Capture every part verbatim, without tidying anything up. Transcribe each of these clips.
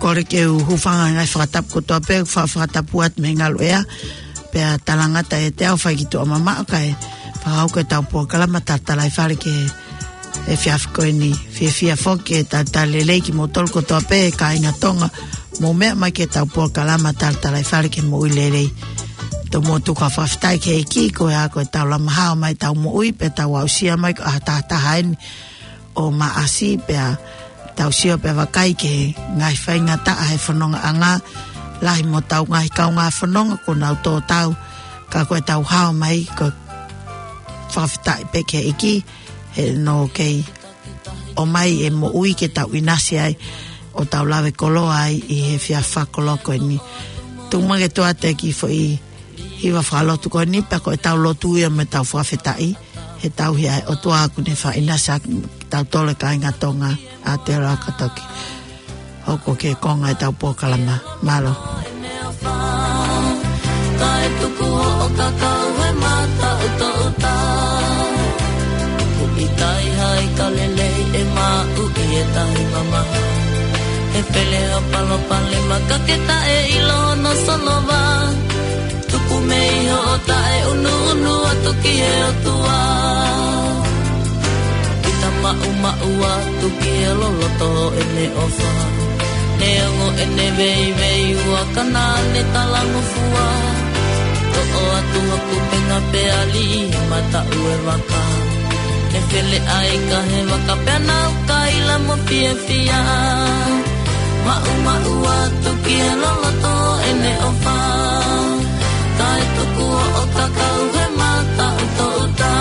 kole ke u hūfanga he ngaahi fakatapu kotoa pē, fa-, fakatapu atu mei he ngaluʻea, pea talangata ʻiate au fai ki tuʻa mamaʻo kae fakahoko ʻetau polokalama Talatalaifale ki he efiafi ko eni. Fiefia foki ke talitali lelei kimoutolu kotoa pē, kāinga Tonga, mou meʻa mai ki heʻetau polokalama Talatalaifale ki he Moʻui Lelei. Tomuʻa tuku ha fakafetaʻi ki he ʻEiki, ko ia ko ʻetau lama hao mai ʻetau moʻui, pea tau aʻusia mai ko e ʻaho taha taha eni ʻo Maʻasi, pea tau sio pea vakai ki he ngaahi faingataʻa he fonongaʻanga, lahi mo ʻetau ngaahi kaungā fononga kuo nau tō tau, ka ko ʻetau hao mai ko e fakafetaʻi pē ki he ʻEiki, he naʻe kei ʻomai e moʻui ke tau ʻinasi ai, ʻo tau lave koloa ai ʻi he efiafi fakakoloa ko eni. Tuku muʻa ke u ʻoatu e kiʻi foʻi hiva fakalotu ko eni, pea ko ʻetau lotu ia mo ʻetau fakafetaʻi, he tauhi ʻa e ʻOtua kuo ne faʻa ʻinasi ʻaki kitautolu kāinga Tonga. Aʻu atu ā ka tau kiʻi hoko ki he konga ʻetau polokalama. Mālō. Kae tuku hoʻo kakau he mataʻutoʻuta. Kuo ʻikai ha ika lelei ʻe maʻu ʻi he tahi mamaha. He fele hoʻo palopalema ka ke taʻeʻilo hono solova. Tuku mei hoʻo taʻeunuunu atu ki he ʻOtua. Kita maʻumaʻu atu ki he loloto ʻene ʻofa. Neongo ʻene veiveiua ka naʻa ne talangofua. Toʻo atu hoku penga pea liʻi mataʻu e vaka. He fele ʻa e ika he vaka pea nau kaila mo fiefia. Maʻumaʻu atu ki he loloto ʻene ʻofa. Kae tuku hoʻo kakau he mataʻutoʻuta.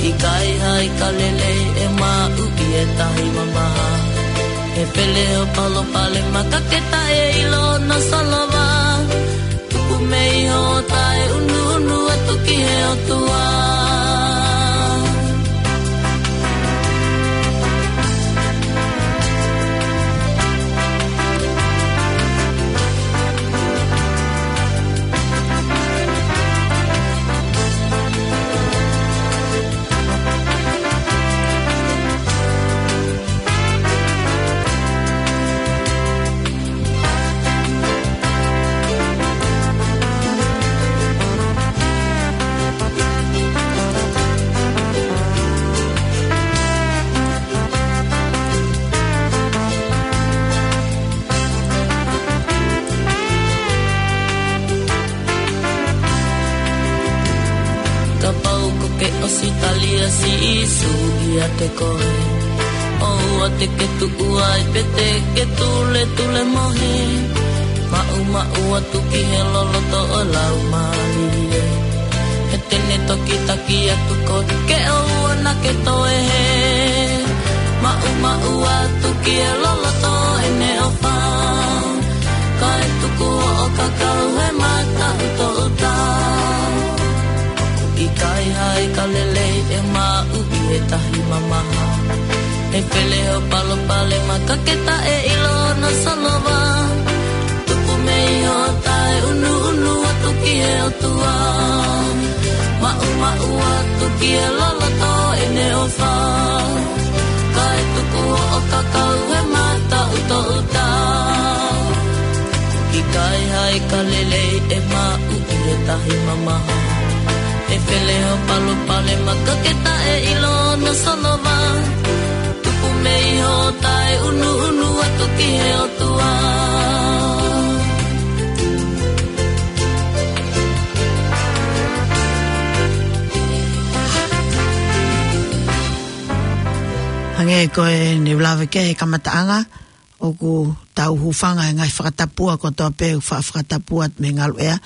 ʻIkai ha ika lelei ʻe maʻu ʻi he tahi mamaha. He fele hoʻo palopalema ka ke taʻeʻilo hono solova. Tuku mei hoʻo taʻeunuunu atu ki he ʻOtua. Kapau ko ke ʻosi tali ʻa Sīsū ʻiate koe, ʻoua te ke tuʻu ai pe te ke tuletule mohe. Maʻumaʻu atu ki he loloto ʻo e Laumālie. He te ne toki taki atu koe ke ʻoua naʻa ke toe hē. Maʻumaʻu atu ki he loloto ʻene ʻofa. Kae tuku hoʻo kakau he mataʻutoʻuta. ʻIkai ha ika lelei ʻe maʻu ʻi he tahi mamaha. He fele hoʻo palopalema ka ke taʻeʻilo hono solova. Tuku mei hoʻo taʻeunuunu atu ki he ʻOtua. Maʻumaʻu atu ki he loloto ʻene ʻofa. Kae tuku hoʻo kakau he mataʻutoʻuta. ʻIkai ha ika lelei ʻe maʻu ʻi he tahi mamaha. He fele hoʻo palopalema ka ke taʻeʻilo hono solova. Tuku mei hoʻo taʻeunuunu atu ki he ʻOtua. Hangē ko ʻene lave ki he kamataʻanga, ʻoku tau hūfanga he ngaahi fakatapu kotoa pē, fa-, fakatapu atu mei he ngaluʻea.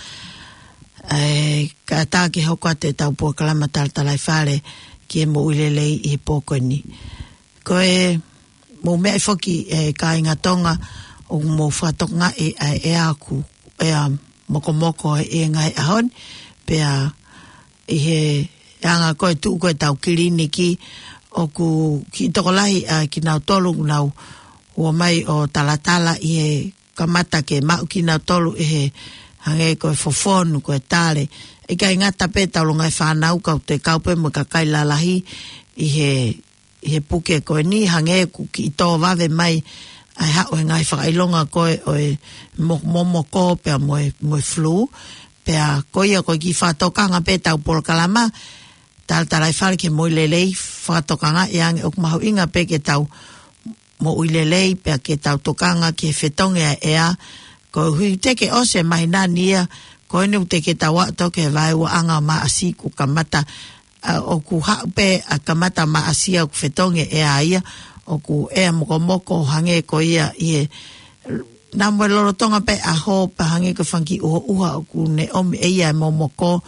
ʻE, kae ʻatā ke hoko atu ʻetau polokalama Talatalaifale ki he Moʻui Lelei ʻi he pō ko eni. Ko e mou meaʻi foki, ʻe kāinga Tonga, ʻoku mou fakatokangaʻi ʻa e ʻea ʻoku ʻea mokomoko ʻi he ngaahi ʻaho ni, pea ʻi he anga ko e tuʻu ko ʻetau kiliniki, ʻoku kiʻi tokolahi ʻa kinautolu ʻoku nau ō mai ʻo talatala ʻi he kamata ke maʻu kinautolu ʻe he hangē ko e fofonu, ko e tale. ʻIkai ngata pē ʻetau longaʻi fānau ka ʻoku toe kau pē mo e kakai lalahi ʻi he, ʻi he puke ko eni, hangē ʻoku kiʻi tō vave mai ʻa e haʻu e ngaahi fakaʻilonga ko ē ʻo e mo-, momoko pea mo e, mo e flu. Pea ko ia ko e kiʻi fakatokanga pē ʻetau polokalama, Talatalaifale ki he Moʻui Lelei, fakatokangaʻi ange ʻoku mahuʻinga pē ke tau moʻui lelei, pea ke tau tokanga ki he fetongi ʻa e ʻea. Koeʻuhi teʻeki ke ʻosi e māhina ni ia, ko eni ʻoku teʻeki ke tau aʻu ki he vaeuaʻanga Maʻasi kuo kamata, ʻa, ʻoku haʻu pē ʻa kamata Maʻasi ʻoku fetongi e ʻea ia, ʻoku ʻea mokomoko hangē ko ia ʻi he, naʻa mo e lolotonga pē ʻaho pea hangē ko e fanga kiʻi ʻuhoʻuha ʻoku ne ʻomi ʻe ia e momoko,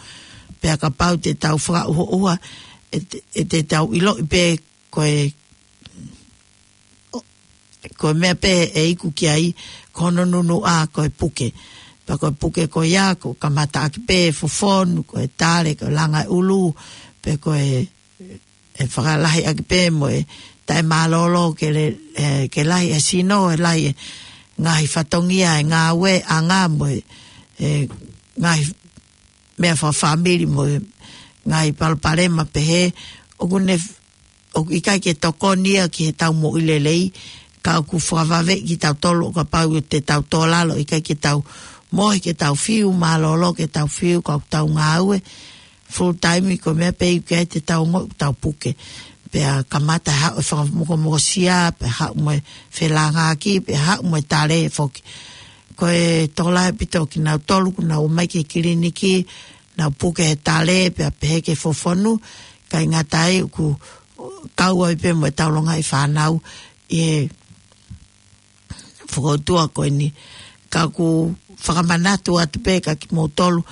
pea kapau te tau fakaʻuhoʻuha, ʻe te, ʻe te tau ʻiloʻi pē ko e, ko e meʻa pē ʻe iku ki ai, ko hono nunuʻa ko e puke. Pea ko e puke ko ia, ʻoku kamata ʻaki pē fofonu, ko e tale, ko e langa e ʻulu, pe ko e, ʻe fakalahi ʻaki pē mo e taʻemālōlō ke le-, ʻe, ke lahi e sino, ʻe lahi e ngaahi fatongia, e ngāueʻanga mo e, ʻe, ngaahi meʻa fakafāmili mo e ngaahi palopalema pehē, ʻoku ne, ʻoku ʻikai ke tokoni ia ki heʻetau moʻui lelei, ka ʻoku fakavave kitautolu ʻo kapau te tau tō lalo, ʻikai ke tau mohe ke tau fiu mālōlō, ke tau fiu ka ʻoku tau ngāue full time, ko e meʻa pē ʻoku ʻikai te tau ongoʻi ʻoku tau puke. Pea kamata haʻu e fakamokomokosia, pea haʻu mo e felāngaaki, pea haʻu mo e tale foki. Ko e tokolahi ʻaupito kinautolu ʻoku nau ō mai ki he kiliniki, nau puke he tale, pea pehē ki he fofonu, ʻikai ngata ai ʻoku kau ai pē mo ʻetau longaʻi fānau ʻi he fokoutua ko eni. Ka ʻoku fakamanatu atu pē kia kimoutolu,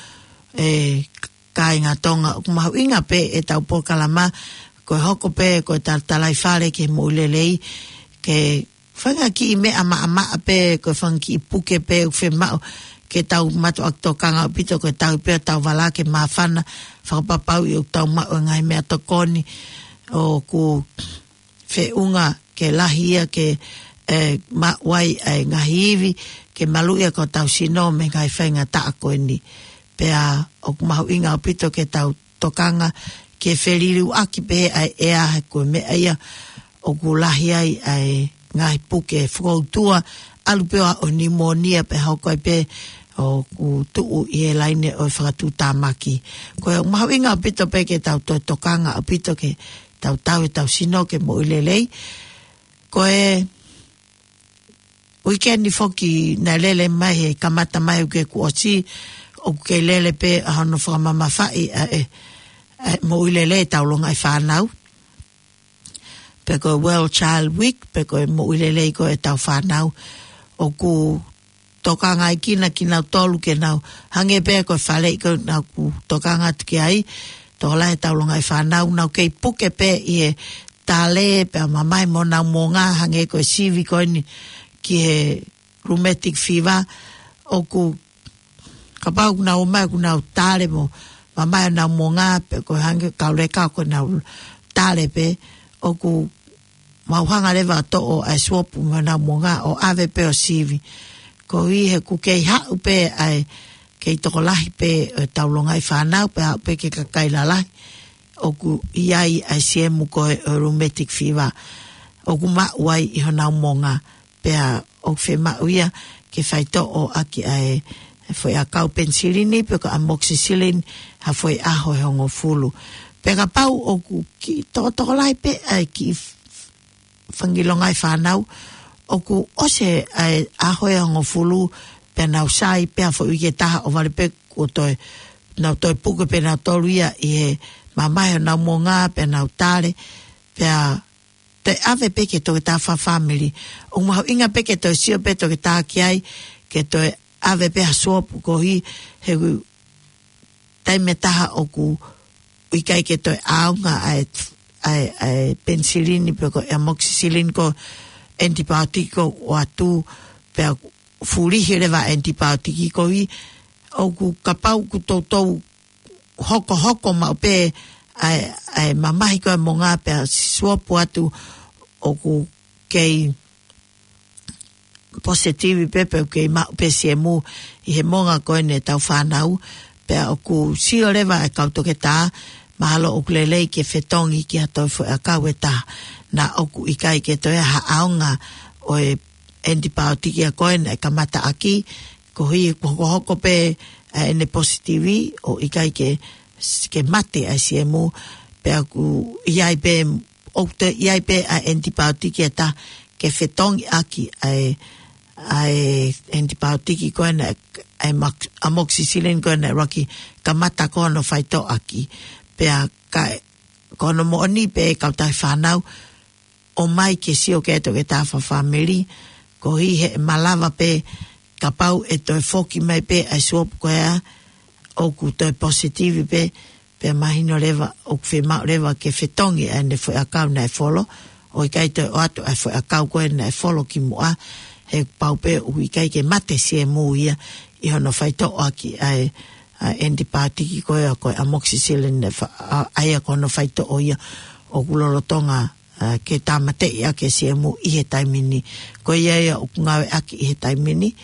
ʻe, kāinga Tonga, ʻoku mahuʻinga pē ʻetau polokalama, ko e hoko pē ko e Talatalaifale ki he Moʻui Lelei, ke fanga kiʻi meʻa maʻamaʻa pē, ko e fanga kiʻi puke pē ʻoku fiemaʻu ke tau mātuʻaki tokanga ʻaupito, ko e tau pē ʻo tau vala ke māfana, fakapapauʻi ʻoku tau maʻu e ngaahi meʻatokoni ʻoku feʻunga ke lahi ia ke, ʻe, maʻu ai e ngaahi ivi, ke maluʻi ʻa hotau sino mei he ngaahi faingataʻa ko eni. Pea ʻoku mahuʻinga ʻaupito ke tau tokanga ke feliliuaki pē ʻa e ʻea, he ko e meʻa ia ʻoku lahi ai ʻa e ngaahi puke fokoutua, ʻalu pē ʻo aʻu ki he pneumonia pea hoko ai pē ʻoku tuʻu ʻi he laine ʻo e fakatuʻutāmaki. Ko e mahuʻinga ʻaupito pē ke tau toe tokanga ʻaupito ke tau tauhi ʻetau sino ke moʻui lelei. Ko e uike ni foki naʻe lele mai he kamata mai uike kuo ʻosi, ʻoku kei lele pē ʻa hono fakamamafaʻi ʻa e, ʻa e moʻui lelei ʻetau longaʻi fānau. Pe ko e World Child Week, pe ko e moʻui lelei ko ē ʻetau fānau. ʻOku tokangaʻi kinautolu ke nau, hangē pē ko e faleʻi ko ē naʻa ku tokanga atu ki ai, tokolahi ʻetau longaʻi fānau, nau kei puke pē ʻi he tale, pea mamahi mo honau monga, hangē ko e sivi ko eni ki he rheumatic fever, ʻoku kapau ʻoku nau ō mai ʻoku nau tale mo mamahi honau monga, pe ko e hangē kau leka ko ʻenau tale pē, ʻoku mau hanga leva ʻo toʻo ʻa e suopu mei honau monga ʻo ʻave pē ʻo sivi. Koeʻuhi he ʻoku kei haʻu pē ʻa e, kei tokolahi pē ʻetau longaʻi fānau, pea haʻu pē ki he kakai lalahi ʻoku ʻi ai ʻa e siemu ko ē ʻo e rheumatic fever, ʻoku maʻu ai ʻi honau monga. Pea ʻoku fiemaʻu ia ke faitoʻo ʻaki ʻa e foʻi ʻakau penisilini pe ko e amoxicillin ha foʻi ʻaho ʻe hongofulu. Pea kapau ʻoku kiʻi tokotokolahi pē ʻa e kiʻi f-, fanga kiʻi longaʻi fānau, ʻoku ʻosi ʻa e ʻaho ʻe hongofulu, pea nau sai pē ha foʻi uike ʻe taha ʻo vale pē kuo toe, nau toe puke pē nautolu ia ʻi he mamahi honau monga pea nau tale, pea toe ʻave pē ki he toketā fakafāmili. ʻOku mahuʻinga pē ke toe sio pē toketā ki ai, ke toe ʻave pē ha suopu koeʻuhi he taimi ʻe taha ʻoku ʻikai ke toe ʻaonga ʻa e, ʻa e, ʻa e penisilini pe ko e amoxicillin ko e antibiotic ʻoku ʻoatu, pea fulihi leva antibiotic koeʻuhi ʻoku kapau ʻoku toutou hokohoko maʻu pē ʻa e, ʻa e mamahi ko ē monga pea suopu atu ʻoku kei positive pē pe ʻoku kei maʻu pē siemu ʻi he monga ko eni ʻetau fānau, pea ʻoku sio leva e kau toketā, mahalo ʻoku lelei ke fetongi ki ha toe foʻi ʻakau ʻe taha, naʻa ʻoku ʻikai ke toe ʻi ai ha ʻaonga ʻo e ʻanitipaotiki ia ko ē naʻe kamata ʻaki, koeʻuhi ko e hokohoko pē ʻa ʻene positivi ʻo ʻikai ke, ke mate ʻa e siemu, pea ʻoku ʻi ai pē, ʻoku toe ʻi ai pē ʻa e ʻanitipaotiki ʻe taha ke fetongi ʻaki ʻa e, ʻa e ʻanitipaotiki ko ē naʻe, ʻa e mak-, amoxicillin ko ē naʻe ʻuluaki kamata ko hono faitoʻo ʻaki. Pea ka, ko hono moʻoni pē kautaha fānau, ʻomai ke sio ki ai e toketā fakafāmili, koeʻuhi he ʻe malava pē kapau ʻe toe foki mai pē ʻa e suopu ko ia ʻoku toe positivi pē, pea mahino leva ʻoku fiemaʻu leva ke fetongi ʻa ʻene foʻiʻakau naʻe folo, ʻo ʻikai toe ʻoatu ʻa e foʻiʻakau ko ē naʻe folo kimuʻa, he pau pē ʻoku ʻikai ke mate siemu ia ʻi hono faitoʻo ʻaki ʻa e, ʻa e ʻanitipaotiki ko ē ko e amoxicillin naʻe fa-, ʻa, ʻa ia ko hono faitoʻo ia ʻoku lolotonga, ʻa, ke tāmateʻi ʻaki e siemu ʻi he taimi ni. Ko ia ia ʻoku ngāueʻaki ʻi he taimi ni,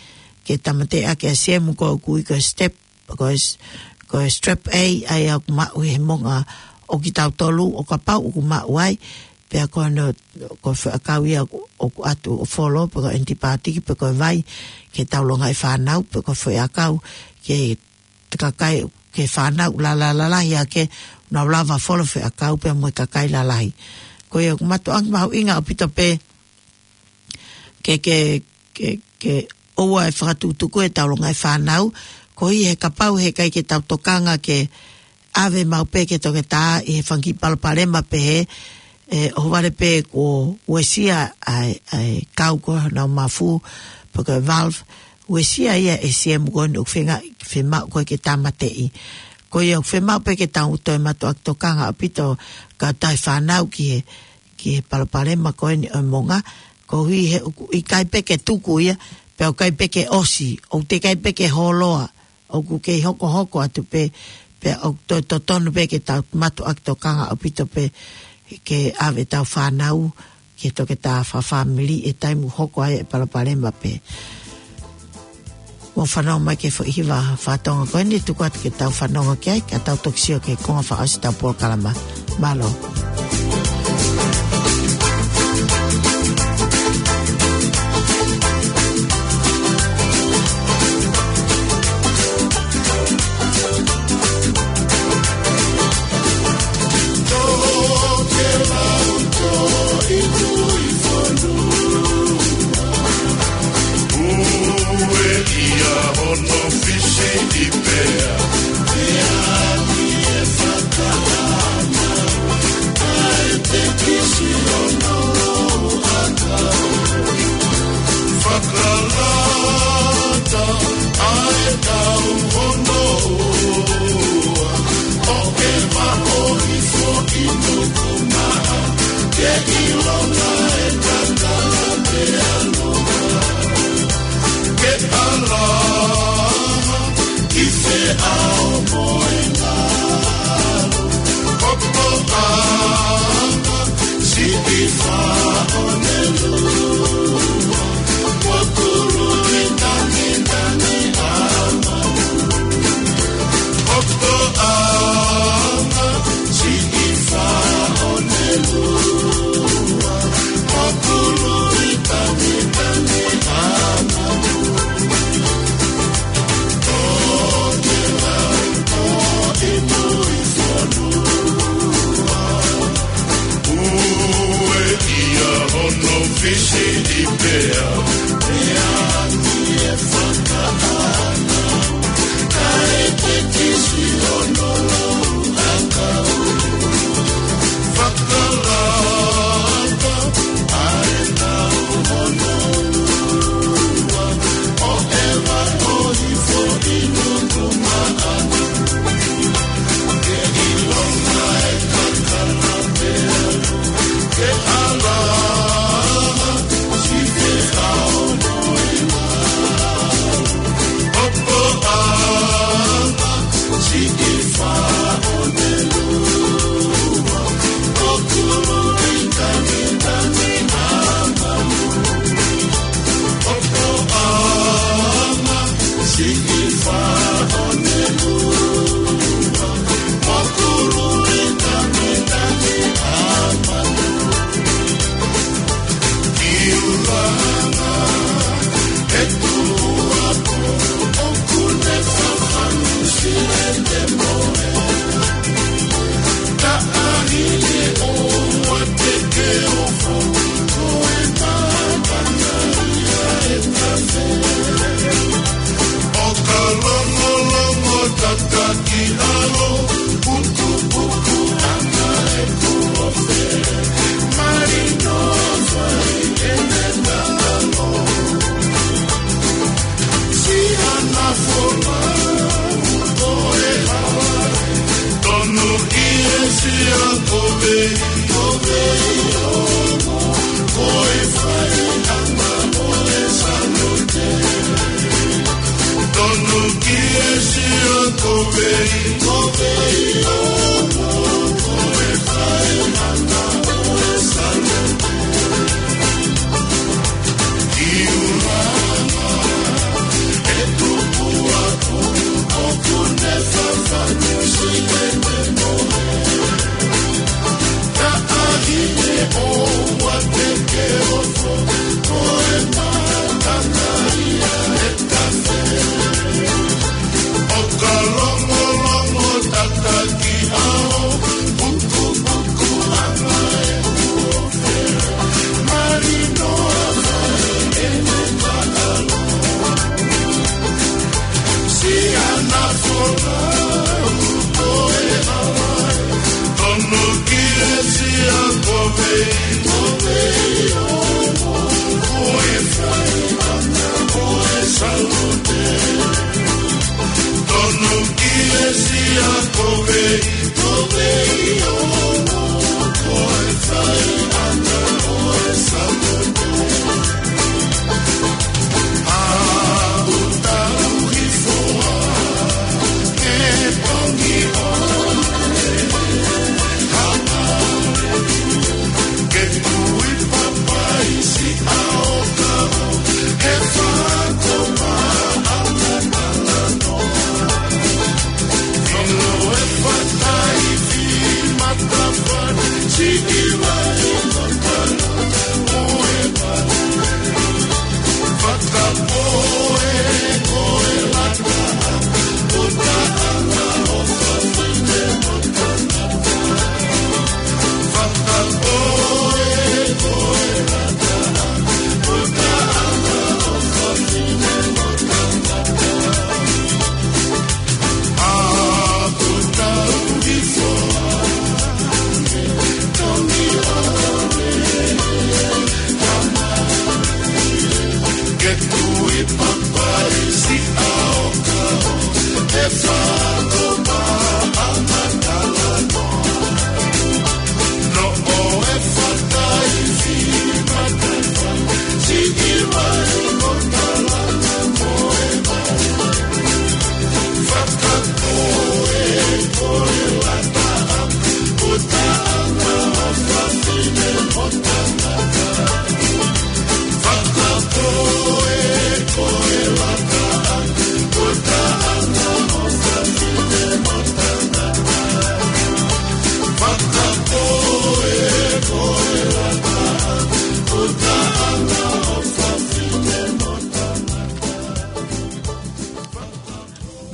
ke tāmateʻi ʻaki e siemu ko ē ʻoku ui ko e step, ko e s-, ko e strep A, ʻa ia ʻoku maʻu he monga ʻo kitautolu, ʻo kapau ʻoku maʻu ai, pea ko hono, ko e foʻiʻakau ia ʻoku, ʻoku ʻoatu ʻo folo, pe ko e ʻanitipaotiki, pe ko e vai, ke taulongaʻi fānau, pe ko e foʻiʻakau, ke te kakai, ki he fānau lala-, lalahi ʻa ē ke nau lava folo foʻiʻakau pea mo e kakai lalahi. Ko ia ʻoku mātuʻaki mahuʻinga ʻaupito pē ke, ke, ke, ke ʻoua ʻe fakatukutuku e taulongaʻi fānau, koeʻuhi he kapau he ʻikai ke tau tokanga ke ʻave maʻu pē ki he toketā ʻi he fanga kiʻi palopalema pehē, ʻe, ʻohovale pē kuo uesia ʻa e, ʻa e kau ko ē honau mafu, pe ko e valve, uesia ia ʻe he siemu ko eni ʻoku feinga, fiemaʻu ko ē ke tāmateʻi. Ko ia ʻoku fiemaʻu pē ke tau toe mātuʻaki tokanga ʻaupito kautaha fānau ki he, ki he palopalema ko eni ʻo e monga, koeʻuhi he ʻoku ʻikai pē ke tuku ia, pea ʻoku ʻikai pē ke ʻosi, ʻoku teʻeki ai pē ke holoa, ʻoku kei hokohoko atu pē, pea ʻoku toe totonu pē ke tau mātuʻaki tokanga ʻaupito pē ke ʻave ʻetau fānau ki he toketā fakafāmili ʻi he taimi ʻoku hoko ai e palopalema pē. Mou fanongo mai ki he foʻi hiva faka-Tonga ko eni, tuku atu ke tau fanongo ki ai, ka tau toki sio ki he konga fakaʻosi ʻetau polokalama. Mālō. Fakalata ʻa e tau hono ua, ʻo e maʻo i foʻi nuku maʻa, ke ʻilonga e kakala pea loa. Ke ʻalaha ki feʻao mo e ngalo, ʻoku ʻoanga siʻi faʻonelua, ʻoku luli tangitangi ʻa Manu. ʻOku ʻoanga siʻi faʻonelua, ʻoku luli tangitangi ʻa Manu. Ue ia hono fisi i pea, pea ni e fakaʻana, kae te kisi hono lau ʻakau. Fakalata ʻa e tau hono ua, ʻo e maʻo i foʻi nuku maʻa.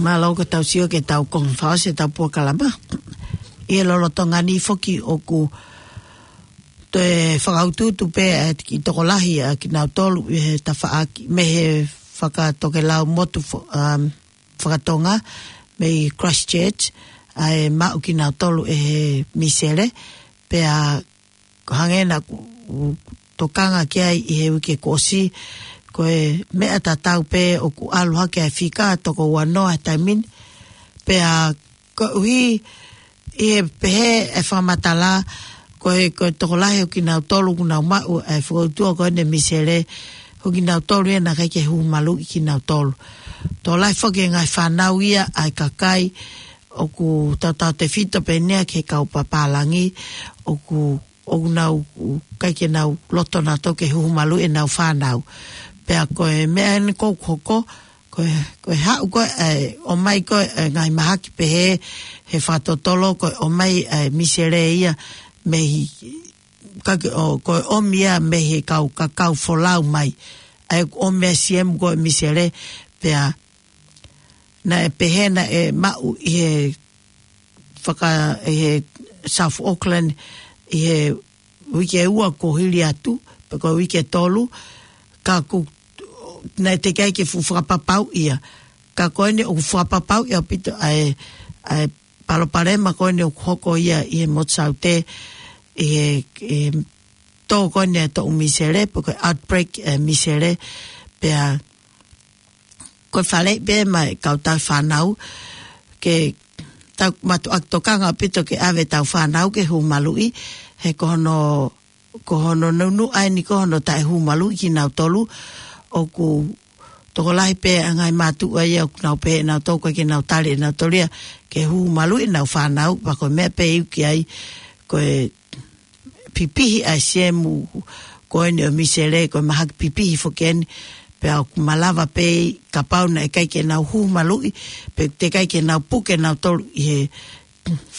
Mālō ko ʻetau sio ki heʻetau konga fakaʻosi ʻetau polokalama. ʻI he lolotonga ni foki ʻoku toe fakautuutu pē ʻa e kiʻi tokolahi ʻa kinautolu ʻi he tafaʻaki mei he fakatokelau motu fo-, um, fakatonga mei Christchurch, ʻa e maʻu kinautolu ʻe he misele, pea ko e hangē naʻa ku tokanga ki ai ʻi he uike kuo ʻosi, ko e meʻa tatau pē ʻoku ʻalu hake ʻa e fika toko ua noa he taimi ni. Pea koeʻuhi ʻi he pehē ʻe he fakamatala, ko e, ko e tokolahi ʻo kinautolu ʻoku nau maʻu ʻa e fakautua ko eni misele, ko kinautolu ia naʻe ʻikai ke huhu maluʻi kinautolu. Tokolahi foki e ngaahi fānau ia ʻa e kakai ʻoku tautautefito pē eni ia ki he kau pāpālangi, ʻoku ʻoku nau ʻikai ke nau loto nautolu ke huhu maluʻi ʻenau fānau. Pea ko e meʻa eni ʻoku hoko, ko e, ko e haʻu ko ē, ʻomai ko ē, ngaahi mahaki pehē he fakatotolo, ko e ʻomai e misele ia mei, ka ke, ʻo, ko e ʻomi ia mei he kau, ka kau folau mai. ʻA e ʻomi e siemu ko e misele, pea naʻe pehē naʻe maʻu ʻi he faka-, ʻi he South Auckland, ʻi he uike ua kuo hili atu, pe ko e uike tolu, ka ʻoku, naʻe teʻeki ai ke fuʻu fakapapauʻi ia. Ka ko eni ʻoku fakapapauʻi ʻaupito ʻa e, ʻa e palopalema ko eni ʻoku hoko ia ʻi he motu Saute, ʻi he, ʻi he tō ko eni e toʻu misele, pe ko e outbreak e misele, pea ko e faleʻi pē mai e kau tauhi fānau, ke tau mātuʻaki tokanga ʻaupito ke ʻave ʻetau fānau ke huhu maluʻi, he ko hono, ko hono nounou ʻa eni ko hono taʻe huhu maluʻi kinautolu, ʻoku tokolahi pē ʻa e ngaahi mātuʻa ia ʻoku nau pehē nautolu ʻikai ke nau tali ʻe nautolu ia ke huhu maluʻi ʻenau fānau, pea ko e meʻa pē ʻe iku ki ai, ko e pipihi ʻa e siemu ko eni ʻo e misele, ko e mahaki pipihi foki eni, pea ʻoku malava pē kapau naʻe ʻikai ke nau huhu maluʻi, pe teʻeki ai ke nau puke nautolu ʻi he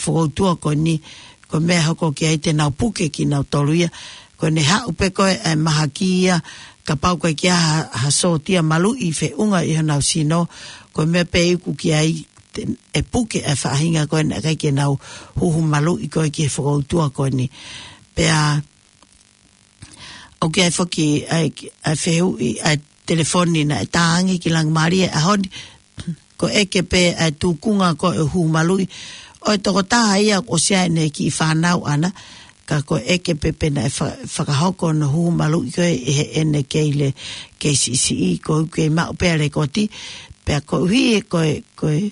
fakautua ko eni, ko e meʻa hoko ki ai te nau puke kinautolu ia, ko ʻene haʻu pē ko ē e mahaki ia, kapau ʻoku ʻikai ke ʻi ai ha, ha sōtia maluʻi feʻunga ʻi honau sino, ko e meʻa pē ʻe iku ki ai, te, ʻe puke e faʻahinga ko ē naʻe ʻikai ke nau huhu maluʻi ko ē ki he fakautua ko eni. Pea, ʻoku ʻi ai foki ʻa e, ʻa e fehuʻi ʻa e telefoni naʻe tā ange ki Langimālie he ʻaho ni, ko e ʻeke pē ʻa e tuʻunga ko ē huhu maluʻi ʻo e tokotaha ia ʻoku ʻosi ʻi ai ʻene kiʻi fānau ʻana, ka ko e ʻeke pē pe naʻe fa-, fakahoko hono huhu maluʻi ko ē ʻe heʻene kei le-, kei siʻisiʻi, ko ʻeku kei maʻu pē ʻa e lekooti, pea koeʻuhi ko e, ko e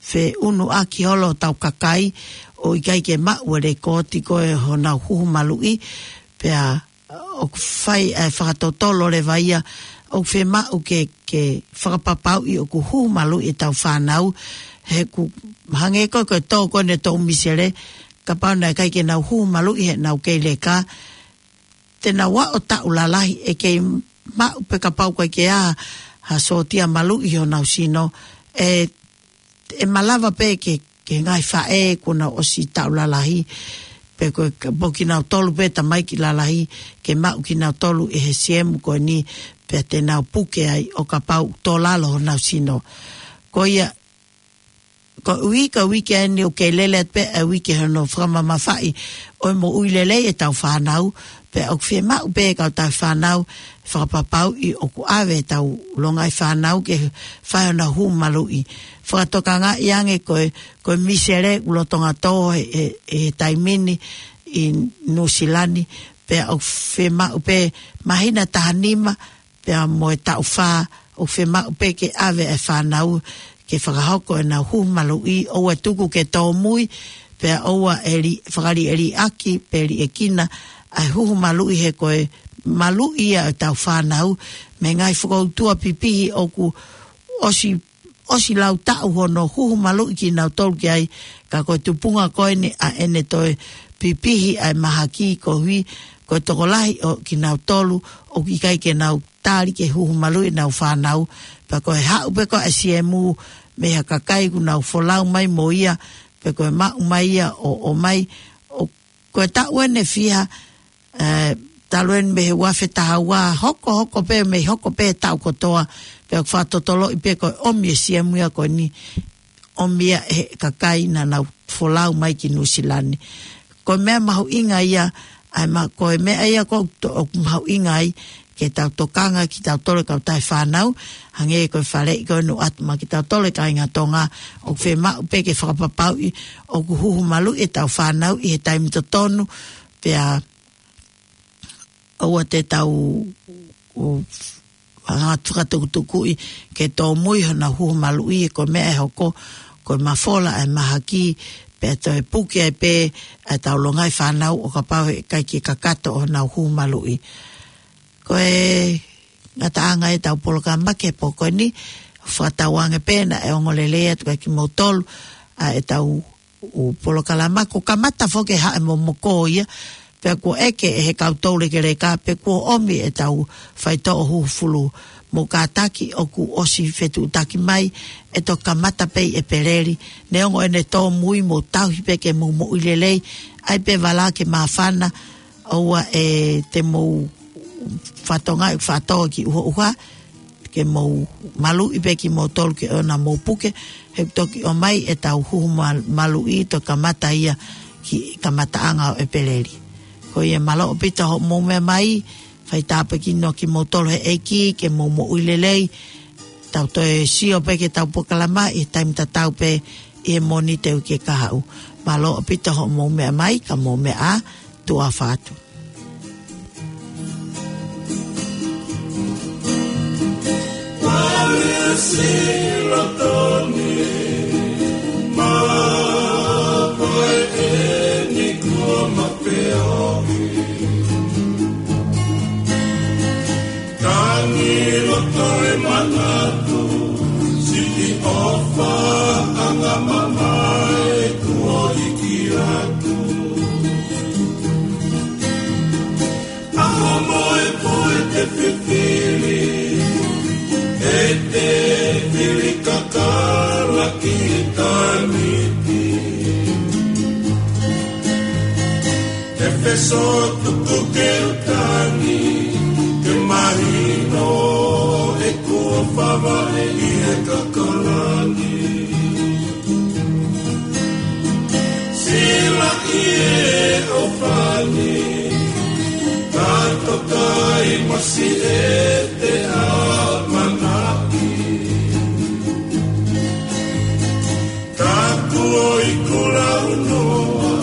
feʻunuʻaki holo hotau kakai ʻo ʻikai ke maʻu e lekooti ko ē honau huhu maluʻi, pea ʻoku fai e fakatotolo leva ia, ʻoku fiemaʻu ke, ke fakapapauʻi ʻoku huhu maluʻi ʻetau fānau, he ʻoku hangē ko ē ko e tō ko eni e toʻu misele, kapau naʻe ʻikai ke nau huhu maluʻi heʻenau kei leka, te nau aʻu ʻo taʻu lalahi ʻe kei maʻu pe kapau ʻoku ʻikai ke ʻi ai ha sōtia maluʻi ʻi honau sino, ʻe, ʻe malava pē ke, ke ngaahi faʻē kuo nau ʻosi taʻu lalahi, pe ko e ka-, pe ko kinautolu pē tamaiki lalahi, ke maʻu kinautolu ʻe he siemu ko eni, pea te nau puke ai ʻo kapau ʻoku tō lalo honau sino. Ko ia, koeʻuhi ko e uike eni ʻoku kei lele atu pē e uike hono fakamamafaʻi ʻo e moʻui lelei ʻetau fānau, pea ʻoku fiemaʻu pē kau tauhi fānau fakapapauʻi ʻoku ʻave ʻetau longaʻi fānau ke fai honau huhu maluʻi. Fakatokangaʻi ange ko e, ko e misele ʻoku lolotonga tō he, he, he taimi ni ʻi Nuʻusila ni, pea ʻoku fiemaʻu pē māhina taha nima, pea mo e taʻu fā, ʻoku fiemaʻu pē ke ʻave e fānau ke fakahoko ʻenau huhu maluʻi, ʻoua ʻe tuku ke tōmui, pea ʻoua ʻe li-, fakaliʻeliʻaki pe liʻekina ʻa e huhu maluʻi, he ko e maluʻi ia ʻetau fānau mei he ngaahi fakautua pipihi ʻoku ʻosi, ʻosi lau taʻu hono huhu maluʻi kinautolu ki ai, ka ko e tupunga ko eni ʻa ʻene toe pipihi ʻa e mahaki koeʻuhi ko e tokolahi ʻo kinautolu ʻoku ʻikai ke nau tali ke huhu maluʻi ʻenau fānau, pea ko e haʻu pē ko ē e siemu mei ha kakai ʻoku nau folau mai mo ia, pe ko e maʻu mai ia ʻo, ʻomai, ʻo, ko e taʻu eni ʻe fiha, ē, talu eni mei he ua afe taha ua, hokohoko pē, mei hoko pē taʻu kotoa, pea ʻoku fakatotoloʻi pē ko e ʻomi e siamu ia ko eni, ʻomi ia ʻe he kakai naʻa nau folau mai ki Nuʻusila ni. Ko e meʻa mahuʻinga ia, ʻa e ma-, ko e meʻa ia ʻoku to-, ʻoku mahuʻinga ai, ke tau tokanga kitautolu e kautaha fānau, hangē ko e faleʻi ko eni ʻoatu maʻa kitautolu e kāinga Tonga, ʻoku fiemaʻu pē ke fakapapauʻi ʻoku huhu maluʻi ʻetau fānau ʻi he taimi totonu, pea ʻoua te tau ʻo hanga atu fakatukutukuʻi ke tōmui honau huhu maluʻi, ko e meʻa ʻe hoko, ko e mafola ʻa e mahaki, pea toe puke ai pē ʻa e tau longaʻi fānau ʻo kapau he ʻikai ke kakato honau huhu maluʻi. Ko e ngataʻanga ʻetau polokalama ki he pō ko eni, fakatauange pē naʻe ongo lelei atu kiate kimoutolu ʻa ʻetau ʻū polokalama, kuo kamata foki e haʻi momoko ia, pea kuo ʻeke ʻe he kau toulekeleka pe kuo ʻomi ʻetau faitoʻo hūfulu. Mou kātaki ʻoku ʻosi fetuʻutaki mai, ʻe toki kamata pē ʻi ʻEpeleli, neongo ʻene tōmui mou tauhi pē ke mou moʻui lelei, ʻai pē vala ke māfana, ʻoua ʻe te mou fatonga ʻi fatonga ki ʻuhoʻuha, ke mou maluʻi pē kimoutolu ke ʻoua naʻa mou puke, he ʻoku toki ʻomai ʻetau huhu ma-, maluʻi to kamata ia ki kamataʻanga ʻo ʻEpeleli. Ko ia mālō ʻaupito hoʻomou meʻa mai, fai tāpuekina kimoutolu he ʻEiki, ke mou moʻui lelei, tau toe sio pē ki heʻetau polokalama ʻi he taimi tatau pē ʻi he Mōnite uike kahaʻu. Mālō ʻaupito hoʻomou meʻa mai, ka mou meʻa ā, tuʻa ʻofa atu. Palesila toni, ma koe eni kuo ma peohi. Tangi loto e manatu, siʻi ʻofaʻanga mamae kuo hiki atu. ʻAho mo e pō ʻe te fifili, ʻe te fili kakala ki taniti. ʻE feso tuku ke u tangi, ke mahino ʻeku ʻofa vale ʻi he kakalani. Sila ʻi he ʻofa ni, ka toka ʻi masi ʻe te ʻamanaki. Ka kuo ʻi kulaunoa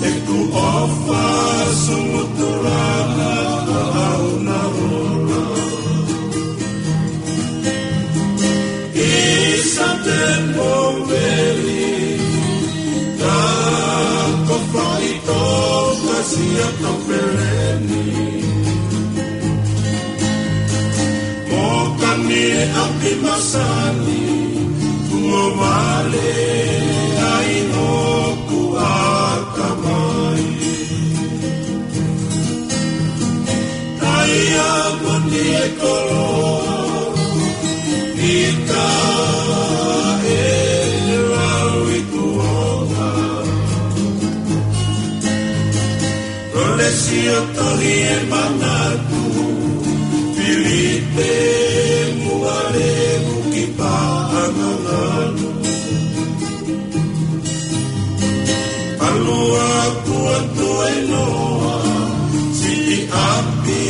ʻeku ʻofa sumutuʻulanga ʻa ʻAunaola. ʻI Satempoveli, ka ko faʻitoka Siato Peleni. Mo kani ʻapi masani, kuo vale ai hoku ʻatamai. Taiamoni e koloa, ʻi ka e lau i kuonga. Lolesi ʻo tohi e manatu, Filipe Muale Muki Paʻanganganu. Palua kuo tuenoa, siʻi ʻapi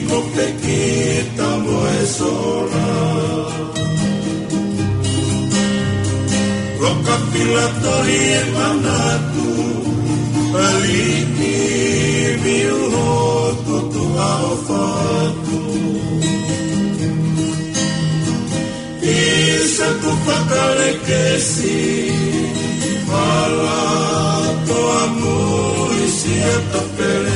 ko Pekita mo e Sola. Loka fila tohi e manatu, aliʻi viu hoku tuʻa ʻofa atu. ʻI saku fakalekesi, hala toa mui Siato Peleni.